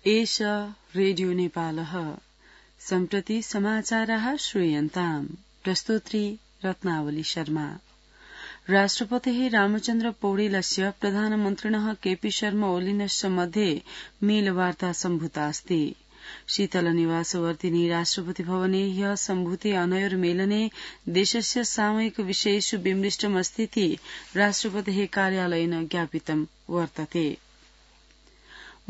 एष रेडियो नेपालः सम्प्रति समाचारः श्रूयन्ताम्। प्रस्तोत्री रत्नावली शर्मा। राष्ट्रपतिः रामचन्द्र पौडेलस्य प्रधानमन्त्रिणः केपी शर्मा ओलीनश्च मध्ये मेलवार्ता सम्भूतास्ति। शीतलनिवासवर्तिनी राष्ट्रपति भवने ह्यः सम्भूते अनयोर्मेलने देशस्य सामयिक विषयेषु विमृष्टमस्तीति राष्ट्रपतेः कार्यालयेन ज्ञापितं वर्तते।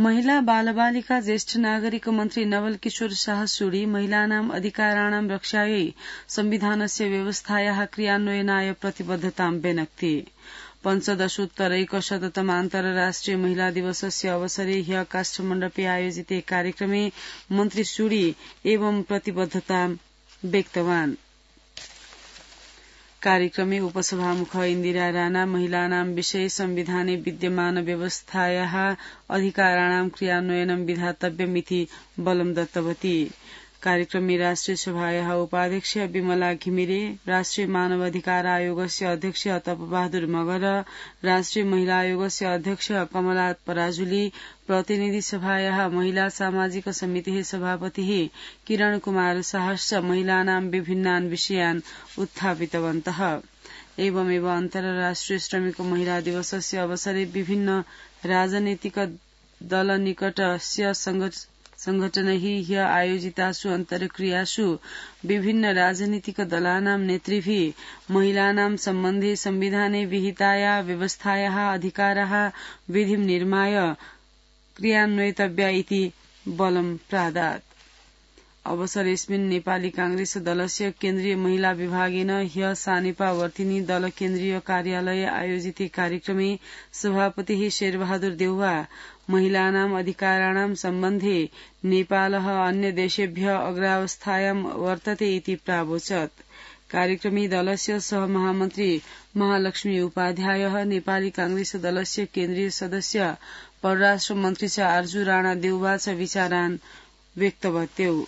महिला बालबालिका ज्येष्ठ नागरिक मन्त्री नवल किशोर शाह सूरी महिलानाम् अधिकाराणां रक्षायै संविधानस्य व्यवस्थायाः क्रियान्वयनाय प्रतिबद्धतां व्यनक्ति। पञ्चदशोत्तरैकशततम अन्तर्राष्ट्रिय महिला दिवसस्य अवसरे ह्यः काष्ठमण्डपे आयोजिते कार्यक्रमे मन्त्री सूरी एवं प्रतिबद्धतां व्यक्तवान्। कार्यक्रमे उपसभामुख इन्दिरा राणा महिलानां विषये संविधाने विद्यमान व्यवस्थायाः अधिकाराणां क्रियान्वयनं विधातव्यमिति बलं दत्तवती। कार्यक्रमे राष्ट्रिय सभायाः उपाध्यक्ष विमला घिमिरे, राष्ट्रिय मानवाधिकार आयोगस्य अध्यक्ष तपबहादुर मगर, राष्ट्रिय महिला आयोगस्य अध्यक्ष कमला पराजुली, प्रतिनिधि सभायाः महिला सामाजिक समितेः सभापतिः किरण कुमार शाहश्च महिलानां विभिन्नान् विषयान् उत्थापितवन्तः। एवमेव अन्तर्राष्ट्रिय श्रमिक महिला दिवसस्य अवसरे विभिन्न राजनैतिक दलनिकटस्य संघटनैः ह्यः आयोजितासु अन्तर्क्रियासु विभिन्न राजनीतिक दलानां नेतृभिः महिलानां सम्बन्धे संविधाने विहिताया व्यवस्थायाः अधिकाराः विधिं निर्माय क्रियान्वयितव्या इति बलं प्रादात्। अवसरेऽस्मिन् नेपाली कांग्रेस दलस्य केन्द्रीय महिला विभागेन ह्यः सानेपा वर्तिनी दल केन्द्रीय कार्यालये आयोजिते कार्यक्रमे सभापतिः शेरबहादुर देउवा महिलानाम् अधिकाराणां सम्बन्धे नेपालः अन्य देशेभ्यः अग्रावस्थायां वर्तते इति प्रावोचत्। कार्यक्रमे दलस्य सहमहामन्त्री महालक्ष्मी उपाध्यायः, नेपाली कांग्रेस दलस्य केन्द्रीय सदस्य परराष्ट्र मन्त्री च आर्जु राणा देउवा च विचारान् व्यक्तवत्यौ।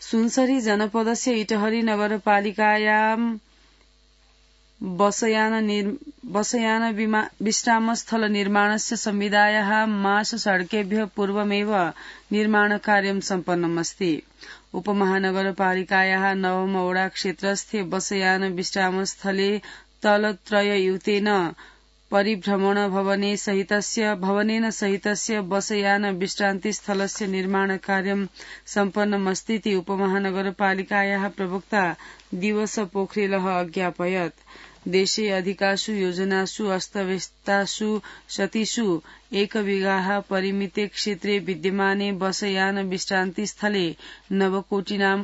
सुनसरी जनपदस्य इटहरी नगरपालिकायां बसयान विश्रामस्थल निर्माणस्य संविदायाः मास सड़केभ्यः पूर्वमेव निर्माणकार्यं सम्पन्नमस्ति। उपमहानगरपालिकायाः नवम वडा क्षेत्रस्थे बसयान विश्रामस्थले तलत्रययुतेन परिभ्रमण भवनेन सहितस्य बसयान विश्रान्तिस्थलस्य निर्माणकार्यं सम्पन्नमस्तीति उपमहानगरपालिकायाः प्रवक्ता दिवस पोखरेलः अज्ञापयत्। देशे अधिकासु योजनासु अस्तव्यस्तासु सतीषु 1 बिघा परिमिते क्षेत्रे विद्यमाने बसयान विश्रान्तिस्थले नवकोटिनां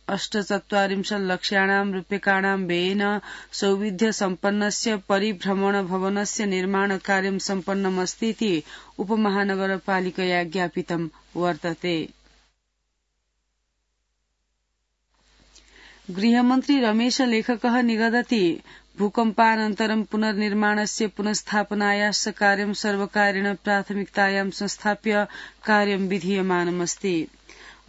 48 लक्षाणां रूप्यकाणां व्ययेन सौविध्य सम्पन्नस्य परिभ्रमण भवनस्य निर्माणकार्यं सम्पन्नमस्तीति उपमहानगरपालिकया ज्ञापितं वर्तते। गृहमन्त्री रमेश लेखकः निगदति भूकम्पानन्तरं पुनर्निर्माणस्य पुनस्थापनायाश्च कार्यं सर्वकारेण प्राथमिकतायां संस्थाप्य कार्यं विधीयमानमस्ति।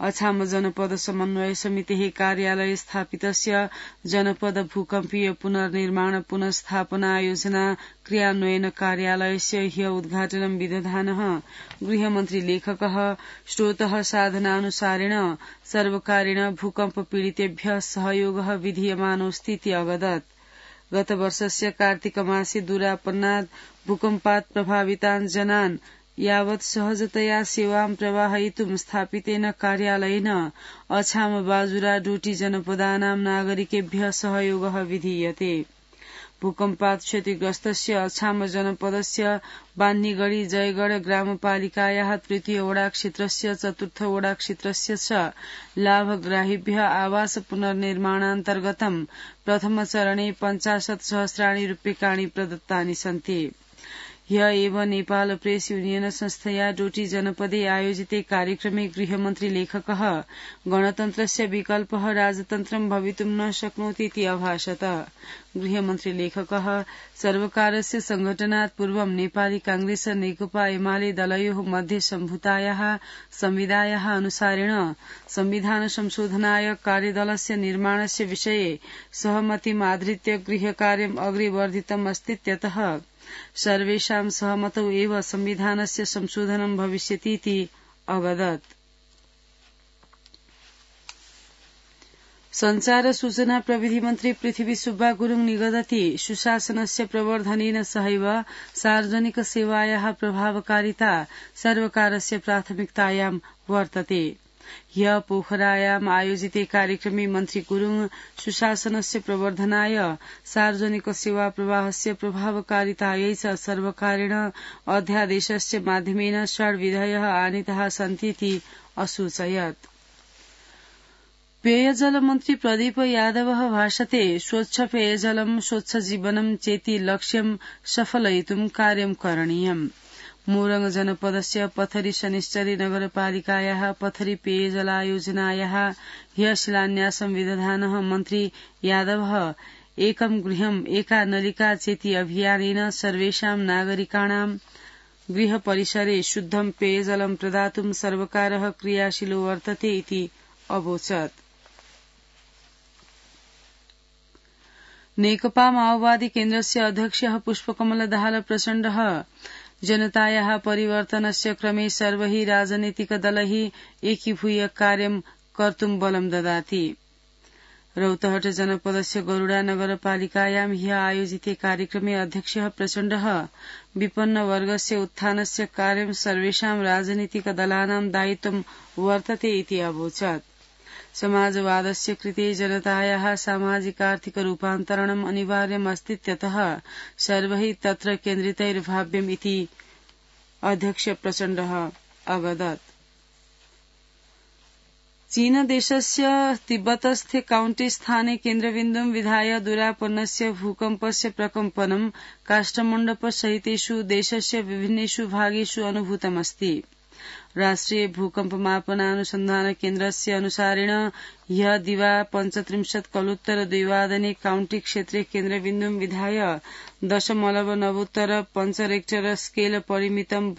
अछाम जनपद समन्वय समितेः कार्यालये स्थापितस्य जनपद भूकम्पीय पुनर्निर्माण पुनस्थापना योजना क्रियान्वयन कार्यालयस्य ह्यः उद्घाटनं विदधानः गृहमन्त्री लेखकः स्रोतः साधनानुसारेण सर्वकारेण भूकम्प पीडितेभ्यः सहयोगः विधीयमानोऽस्तीति अवदत्। गतवर्षस्य कार्तिकमासे दूरापन्नात् भूकम्पात् प्रभावितान् जनान् यावत् सहजतया सेवां प्रवाहयितुं स्थापितेन कार्यालयेन अछाम बाजुरा डोटी जनपदानां नागरिकेभ्यः सहयोगः विधीयते। भूकम्पात् क्षतिग्रस्तस्य अछाम जनपदस्य बान्नीगढी जयगढ ग्रामपालिकायाः 3 वडा क्षेत्रस्य 4 वडा क्षेत्रस्य च लाभग्राहिभ्यः आवास पुनर्निर्माणान्तर्गतं प्रथम चरणे 50 सहस्राणि रूप्यकाणि प्रदत्तानि सन्ति। ह्यः एव नेपाल प्रेस यूनियन संस्थया डोटी जनपदे आयोजिते कार्यक्रमे गृहमन्त्री लेखकः गणतन्त्रस्य विकल्पः राजतन्त्रं भवितुं न शक्नोति इति अभाषत। गृहमन्त्री लेखकः सर्वकारस्य संघटनात् पूर्वं नेपाली कांग्रेस नेकपा एमाले दलयोः मध्ये सम्भूतायाः संविदायाः अनुसारेण संविधान संशोधनाय कार्यदलस्य निर्माणस्य विषये सहमतिमाधृत्य गृहकार्यम् अग्रे वर्धितम् अस्तीत्यतः सर्वेषां सहमतौ एव संविधानस्य संशोधनं भविष्यतीति अवदत्। संचार सूचना प्रविधि मन्त्री पृथ्वी सुब्बा गुरुङ निगदति सुशासनस्य प्रवर्धनेन सहैव सार्वजनिक सेवायाः प्रभावकारिता सर्वकारस्य प्राथमिकतायां वर्तते। ह्य पोखरायाम् आयोजिते कार्यक्रमे मन्त्री गुरुङ सुशासनस्य प्रवर्धनाय सार्वजनिक सेवा प्रवाहस्य प्रभावकारितायै च सर्वकारेण अध्यादेशस्य माध्यमेन षड्विधयः आनीताः सन्तीति असूचयत्। पेयजल मन्त्री प्रदीप यादवः भाषते स्वच्छ पेयजलं स्वच्छ जीवनं चेति लक्ष्यं सफलयितुं कार्यं करणीयम्। मोरङ जनपदस्य पथरी शनिश्चरी नगरपालिकायाः पथरी पेयजलायोजनायाः ह्य शिलान्यासं विदधानः मन्त्री यादवः एकं गृहम् एका नलिका चेति अभियानेन सर्वेषां नागरिकाणां गृह परिसरे शुद्धं पेयजलं प्रदातुं सर्वकारः क्रियाशीलो वर्तते इति अवोचत्। नेकपा माओवादी केन्द्रस्य अध्यक्षः पुष्पकमल दाहाल प्रचण्डः जनतायाः परिवर्तनस्य क्रमे सर्वैः राजनीतिकदलैः एकीभूय कार्यं कर्तुं बलं ददाति। रौतहट जनपदस्य गरुडा नगरपालिकायां ह्य आयोजिते कार्यक्रमे अध्यक्षः प्रचण्डः विपन्न वर्गस्य उत्थानस्य कार्यं सर्वेषां राजनीतिकदलानां दायित्वं वर्तते इति अवोचत्। समाजवादस्य कृते जनतायाः सामाजिकार्थिक रूपान्तरणम् अनिवार्यम् अस्तीत्यतः सर्वैः तत्र केन्द्रितैर्भाव्यम् इति अध्यक्ष प्रचण्डः अवदत्। चीनदेशस्य तिब्बतस्थे काउण्टी स्थाने केन्द्रबिन्दुं विधाय दुरापन्नस्य भूकम्पस्य प्रकम्पनं काष्ठमण्डपसहितेषु देशस्य विभिन्नेषु भागेषु अनुभूतमस्ति। राष्ट्रिय भूकम्पमापनानुसन्धान केन्द्रस्य अनुसारेण ह्य दिवा 35 कलुत्तर 2 वादने काउण्टी क्षेत्रे केन्द्रबिन्दुं विधाय 0.9 रेक्टर स्केल परिमितं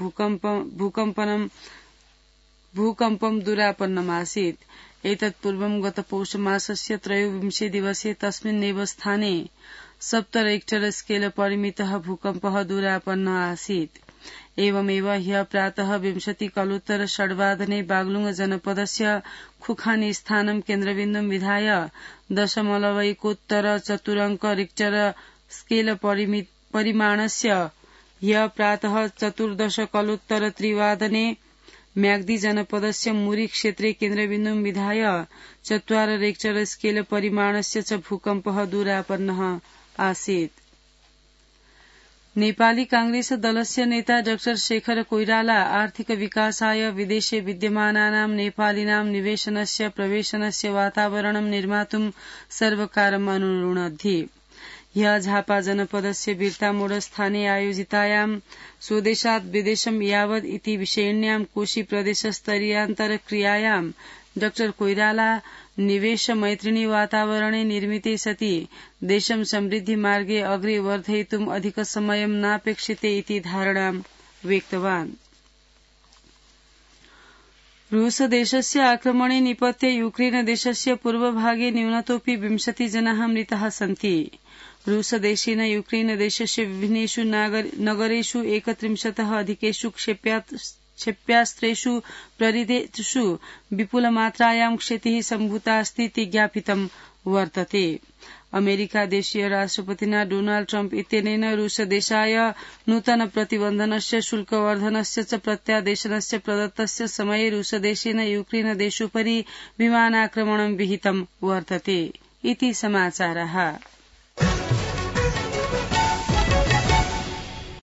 भूकम्पं दुरापन्नमासीत्। एतत्पूर्वं गत पौषमासस्य 23 दिवसे तस्मिन्नेव स्थाने 7 रेक्टर स्केल परिमितः भूकम्पः दुरापन्न आसीत्। एवमेव ह्य प्रातः 20 कलुत्तर 6 वादने बागलुङ जनपदस्य खुखानी स्थानं केन्द्रबिन्दुं विधाय 0.1 रिक्टर स्केल परिमाणस्य ह्य प्रातः 14 कलुत्तर 3 वादने म्याग्दी जनपदस्य मुरी क्षेत्रे केन्द्रबिन्दुं विधाय 4 रेक्टर स्केल परिमाणस्य च भूकम्पः दुरापन्नः आसीत्। नेपाली कांग्रेस दलस्य नेता डाक्टर शेखर कोइराला आर्थिक विकासाय विदेशे विद्यमानानां नेपालीनां निवेशनस्य प्रवेशनस्य वातावरणं निर्मातुं सर्वकारम् अनुरुणद्धि। ह्य झापा जनपदस्य बिर्तामोड स्थाने आयोजितायां स्वदेशात् विदेशं यावद् इति विषयिण्यां कोशी प्रदेशस्तरीयान्तरक्रियायां डाक्टर कोइराला निवेश मैत्रिणी वातावरणे निर्मिते सति देशं समृद्धि मार्गे अग्रे वर्धयितुम् अधिक समयं नापेक्षिते इति धारणां व्यक्तवान्। रूस देशस्य आक्रमणे निपत्य यूक्रेन देशस्य पूर्वभागे न्यूनतोऽपि 20 जनाः मृताः सन्ति। रूस देशेन यूक्रेन देशस्य विभिन्नेषु नगरेषु 31 अधिकेषु क्षेप्यास्त्रेषु प्रहृतेषु विपुलमात्रायां क्षतिः सम्भूता अस्ति इति ज्ञापितं वर्तते। अमेरिका देशीय राष्ट्रपतिना डोनाल्ड ट्रम्प इत्यनेन रूस देशाय नूतन प्रतिबन्धनस्य शुल्कवर्धनस्य च प्रत्यादेशनस्य प्रदत्तस्य समये रूस देशेन यूक्रेन देशोपरि विमानाक्रमणं विहितं वर्तते इति समाचारः।